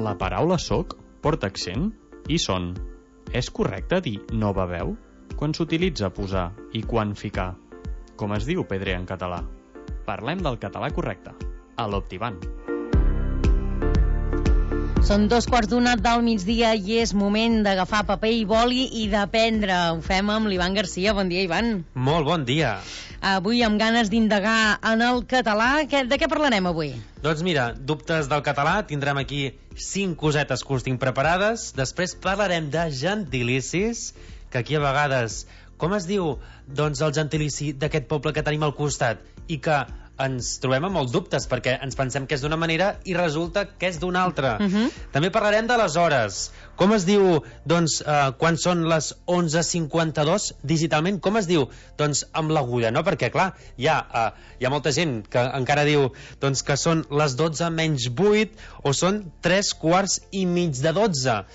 La paraula soc porta accent i son. És correcte dir no beveu? Quan s'utilitza posar i quan ficar? Com es diu pedrer en català? Parlem del català correcte, a l'Optiban. Són 2:15 del migdia i és moment d'agafar paper i boli i d'aprendre. Ho fem amb l'Ivan Garcia. Bon dia, Ivan. Molt bon dia. Avui amb ganes d'indagar en el català. De què parlarem avui? Doncs mira, dubtes del català, tindrem aquí 5 cosetes que us tinc preparades. Després parlarem de gentilicis, que aquí a vegades, com es diu, doncs el gentilici d'aquest poble que tenim al costat i que ens trobem amb molts dubtes perquè ens pensem que és d'una manera i resulta que és d'una altra. També parlarem de les hores. Com es diu, doncs, quan són les 11:52 digitalment? Com es diu? Doncs amb l'agulla, no? Perquè, clar, hi ha molta gent que encara diu doncs, que són les 12 menys 8 o són 3:45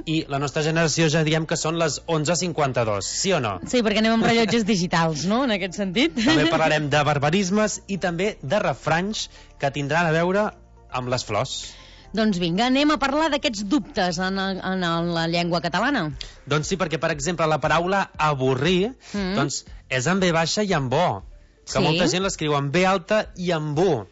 i la nostra generació ja diem que són les 11:52, sí o no? Sí, perquè anem amb rellotges digitals, no?, en aquest sentit. També parlarem de barbarismes i també de refranys que tindran a veure amb les flors. Doncs vinga, anem a parlar d'aquests dubtes en la llengua catalana. Doncs sí, perquè, per exemple, la paraula avorrir doncs és amb B baixa i amb O, que molta gent l'escriu amb B alta i amb U.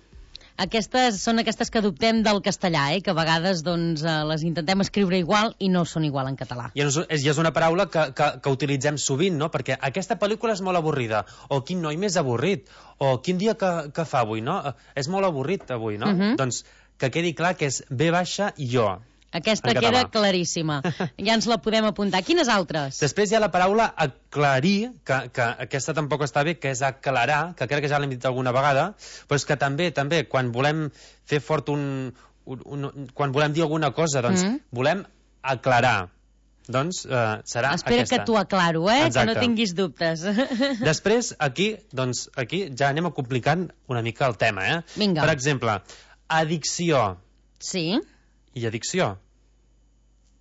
Són aquestes que adoptem del castellà, que a vegades doncs, les intentem escriure igual i no són igual en català. I és una paraula que utilitzem sovint, no? Perquè aquesta pel·lícula és molt avorrida, o quin noi més avorrit, o quin dia que fa avui, no? És molt avorrit avui, no? Doncs que quedi clar que és B baixa i O. Aquesta queda claríssima. Ja ens la podem apuntar. Quines altres? Després hi ha la paraula aclarir, que aquesta tampoc està bé, que és aclarar, que crec que ja l'hem dit alguna vegada, però és que també, quan volem fer fort quan volem dir alguna cosa, doncs volem aclarar. Doncs serà aquesta. Espera que t'ho aclaro, Exacte. Que no tinguis dubtes. Després, aquí ja anem complicant una mica el tema, Vinga. Per exemple, addicció. Sí. I addicció.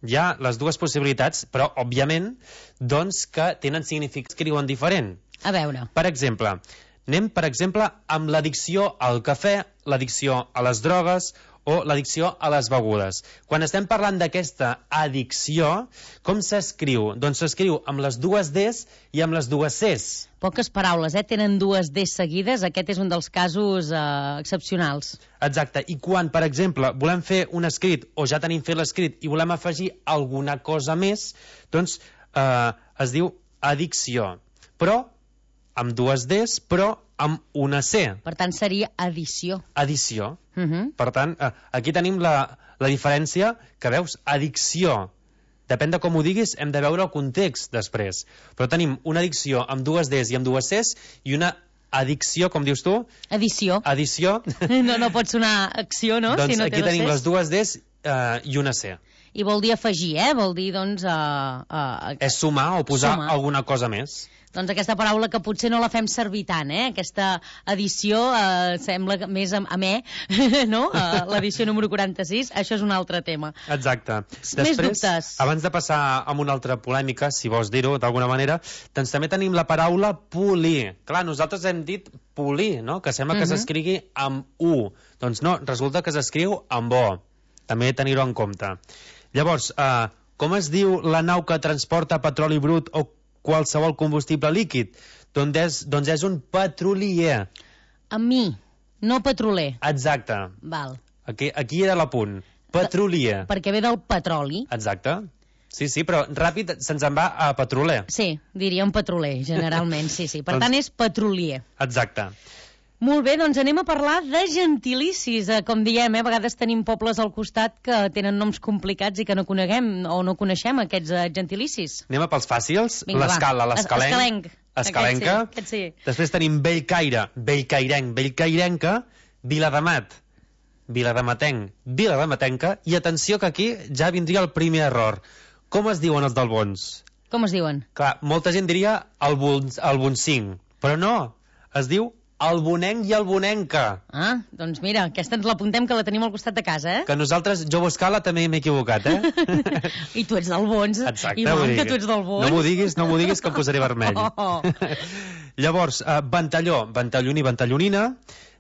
Hi ha les dues possibilitats, però, òbviament, doncs que tenen significats que diuen diferent. A veure. Per exemple, anem, amb l'addicció al cafè, l'addicció a les drogues o l'addicció a les begudes. Quan estem parlant d'aquesta addicció, com s'escriu? Doncs s'escriu amb les dues Ds i amb les dues Cs. Poques paraules, tenen dues Ds seguides. Aquest és un dels casos excepcionals. Exacte, i quan, per exemple, volem fer un escrit o ja tenim fet l'escrit i volem afegir alguna cosa més, doncs es diu addicció. Però amb dues Ds, però amb una C. Per tant, seria addició. Addició. Per tant, aquí tenim la diferència, que veus, addicció. Depèn de com ho diguis, hem de veure el context després. Però tenim una addicció amb dues Ds i amb dues Cs i una addicció, com dius tu? Addició. Addició. No pot sonar acció, no? Doncs si no aquí tenim les dues Ds i una C. I vol dir afegir, Vol dir, doncs... És sumar o posar alguna cosa més. Doncs aquesta paraula que potser no la fem servir tant, Aquesta edició sembla més amè, no? L'edició número 46, això és un altre tema. Exacte. Més dubtes. Abans de passar a una altra polèmica, si vols dir-ho d'alguna manera, doncs també tenim la paraula polir. Clar, nosaltres hem dit polir, no? Que sembla que s'escrigui amb U. Doncs no, resulta que s'escriu amb O. També tenir-ho en compte. Llavors, com es diu la nau que transporta petroli brut o qualsevol combustible líquid? Doncs és un petrolier. Amb mi, no petroler. Exacte. Val. Aquí era l'apunt. Petrolier. Perquè ve del petroli. Exacte. Sí, però ràpid se'ns en va a petroler. Sí, diríem petroler, generalment, sí. Per tant, és petrolier. Exacte. Molt bé, doncs anem a parlar de gentilicis. Com diem, a vegades tenim pobles al costat que tenen noms complicats i que no coneguem o no coneixem aquests gentilicis. Anem a pels fàcils. Vinga, l'escala, l'escalenc. Escalenca. Aquest sí. Després tenim Bellcaire, bellcairenc, bellcairenca, Viladamat, viladamatenc, viladamatenca, i atenció que aquí ja vindria el primer error. Com es diuen els d'Albons? Com es diuen? Clar, molta gent diria Alboncinc, però no, es diu Albonenc i Albonenca. Doncs mira, aquesta ens l'apuntem, que la tenim al costat de casa, Que nosaltres, jo a escala també m'he equivocat, I tu ets d'Albons. Exacte. Igual que tu ets d'Albons. No m'ho diguis que em posaré vermell. Llavors, ventalló, ventalloni, ventallonina.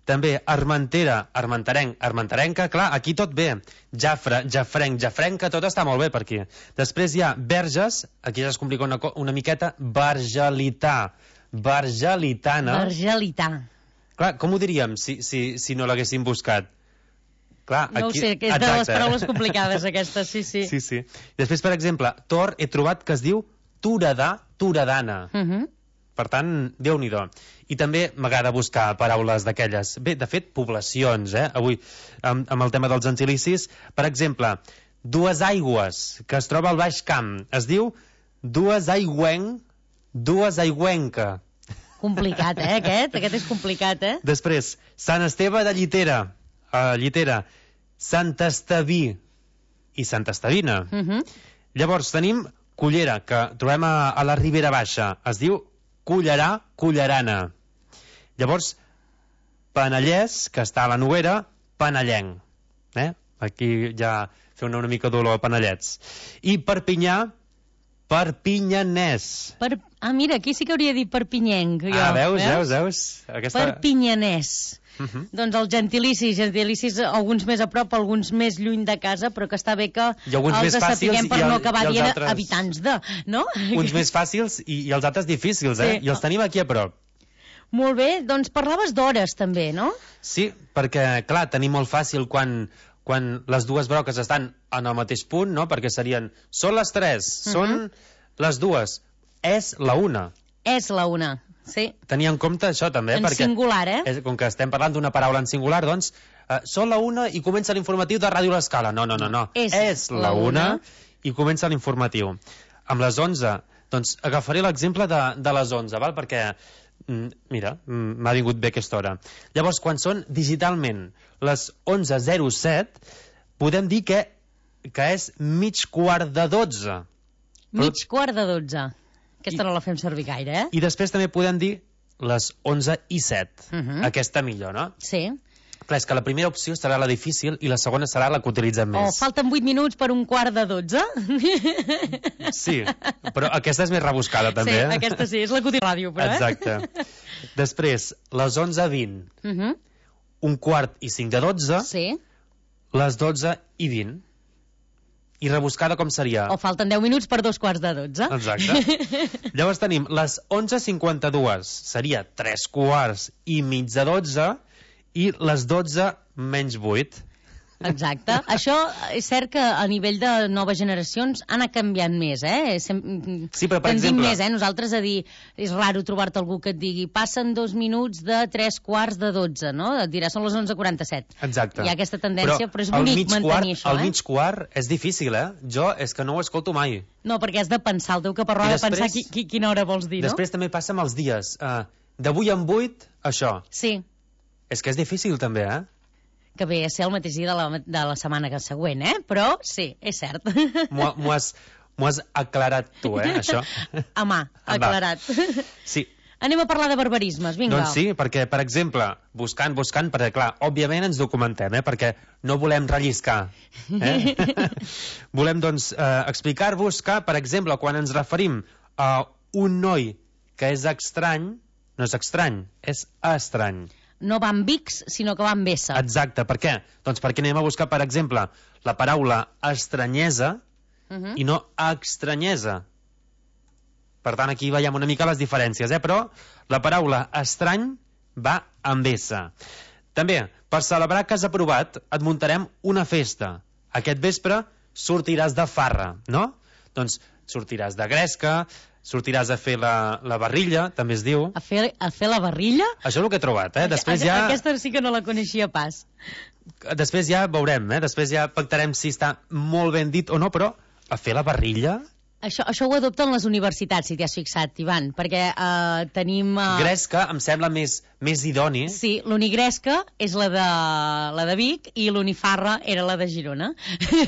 També Armentera, Armenterenc, Armenterenca, clar, aquí tot bé. Jafre, Jafrenc, Jafrenca, tot està molt bé per aquí. Després hi ha Verges, aquí ja es complica una miqueta, Bargelità, Bargelitana. Bargelità. Clar, com ho diríem si no l'haguéssim buscat? Clar, no aquí... ho sé, que és de les paraules complicades aquestes, sí. Sí. Després, per exemple, Tor, he trobat que es diu Toredà, Toredana. Per tant, Déu-n'hi-do. I també m'agrada buscar paraules d'aquelles. Bé, de fet, poblacions, avui, amb el tema dels gentilicis. Per exemple, Duesaigües, que es troba al Baix Camp. Es diu Duesaigüenc, Duesaigüenca. Complicat, aquest? Aquest és complicat, Després, Sant Esteve de Llitera, Sant Estaví i Sant Estavina. Llavors, tenim Cullera, que trobem a la Ribera Baixa. Es diu Cullerà, Cullerana. Llavors, Penellès, que està a la Noguera, Penellenc. Aquí ja fer una mica d'olor a Penellets. I Perpinyà, Perpinyanès. Mira, aquí sí que hauria dit perpinyenc. Veus? Perpinyanès. Doncs els gentilicis, alguns més a prop, alguns més lluny de casa, però que està bé que els sapiguem per no acabar dient habitants de, no? Uns més fàcils i els altres difícils, I els tenim aquí a prop. Molt bé, doncs parlaves d'hores també, no? Sí, perquè, clar, tenim molt fàcil quan les dues broques estan en el mateix punt, no? Perquè serien, són les 3, són les 2, és la 1. És la 1, sí. Tenir en compte això també, perquè... En singular, com que estem parlant d'una paraula en singular, doncs, són la 1 i comença l'informatiu de Ràdio L'Escala. No. És la 1 i comença l'informatiu. Amb les 11, doncs agafaré l'exemple de les 11, val? Perquè, mira, m'ha vingut bé aquesta hora. Llavors, quan són digitalment les 11:07, podem dir que és 11:45. Mig quart de 12. Aquesta no la fem servir gaire, I després també podem dir les 11:07. Aquesta millor, no? Sí. Clar, és que la primera opció serà la difícil i la segona serà la que utilitzem més. Falten 8 minuts per 11:45? Sí, però aquesta és més rebuscada, també. Sí, aquesta sí, és la que utilitza ràdio, però, Exacte. Després, les 11:20. 11:45. Sí. Les 12:20. I rebuscada com seria? O falten 10 minuts per 11:45. Exacte. Llavors tenim les 11:52, seria 11:45 i les 12:08. Exacte. Això és cert que a nivell de noves generacions ha anat canviant més, Sí, però per exemple... més, Nosaltres a dir, és raro trobar-te algú que et digui passen 2 minuts de 3:15, no? Et dirà, són les 11:47. Exacte. Hi ha aquesta tendència, però és bonic mantenir això, El mig quart és difícil, Jo és que no ho escolto mai. No, perquè has de pensar, el teu caparró ha de pensar quina hora vols dir, no? Després també passa amb els dies. D'avui en 8, això. Sí. És que és difícil, també, Que ve a ser el mateix dia de la setmana següent, Però sí, és cert. M'ho has aclarat tu, això. A mà, aclarat. Sí. Anem a parlar de barbarismes, vinga. Doncs sí, perquè, per exemple, buscant, perquè, clar, òbviament ens documentem, perquè no volem relliscar. Volem, doncs, explicar-vos que, per exemple, quan ens referim a un noi que és estrany, no és estrany, és estrany. No va amb X, sinó que va amb S. Exacte, per què? Doncs perquè anem a buscar, per exemple, la paraula estranyesa i no estranyesa. Per tant, aquí veiem una mica les diferències, però la paraula estrany va amb S. També, per celebrar que has aprovat, et muntarem una festa. Aquest vespre sortiràs de farra, no? Doncs sortiràs de gresca, sortiràs a fer la barrilla, també es diu. A fer la barrilla? Això és el que he trobat, Després Aquesta sí que no la coneixia pas. Després ja veurem, Després ja pactarem si està molt ben dit o no, però a fer la barrilla... Això ho adopten les universitats, si t'hi has fixat, Ivan, perquè tenim... Gresca em sembla més idoni. Sí, l'unigresca és la de Vic i l'unifarra era la de Girona.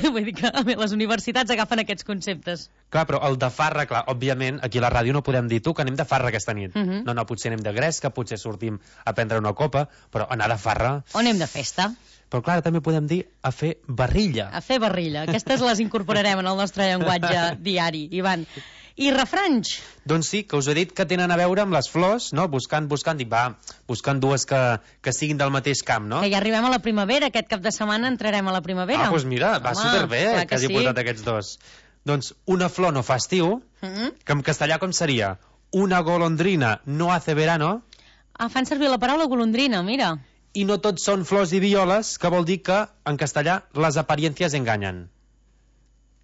Vull dir que les universitats agafen aquests conceptes. Clar, però el de farra, clar, òbviament, aquí a la ràdio no podem dir tu que anem de farra aquesta nit. No, potser anem de gresca, potser sortim a prendre una copa, però anar de farra... O anem de festa. Però clar, també podem dir a fer barrilla. A fer barrilla. Aquestes les incorporarem en el nostre llenguatge diari, Ivan. I refranys? Doncs sí, que us he dit que tenen a veure amb les flors, no? Buscant, dic, buscant dues que siguin del mateix camp, no? Que ja arribem a la primavera, aquest cap de setmana entrarem a la primavera. Doncs mira, va superbé que hagi portat aquests dos. Doncs una flor no fa estiu, que en castellà com seria? Una golondrina no hace verano. Fan servir la paraula golondrina, mira. I no tots són flors i violes, que vol dir que en castellà les apariencias enganyen.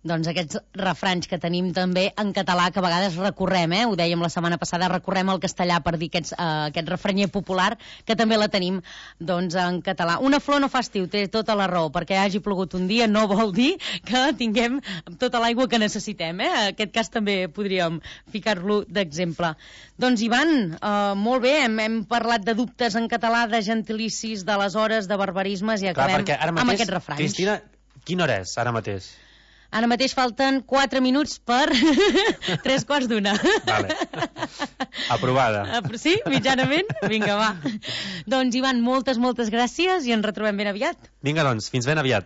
Doncs aquests refranys que tenim també en català, que a vegades recorrem, ho dèiem la setmana passada, recorrem al castellà per dir aquest refranyer popular, que també la tenim doncs, en català. Una flor no fa estiu, té tota la raó, perquè hagi plogut un dia no vol dir que tinguem tota l'aigua que necessitem. En aquest cas també podríem ficar-lo d'exemple. Doncs, Ivan, molt bé, hem parlat de dubtes en català, de gentilicis, d'aleshores, de barbarismes, i acabem amb aquests refranys. Cristina, quina hora és ara mateix? Ara mateix falten 4 minuts per 3:15. Vale. Aprovada. Sí? Mitjanament? Vinga, va. Doncs, Ivan, moltes gràcies i ens retrobem ben aviat. Vinga, doncs, fins ben aviat.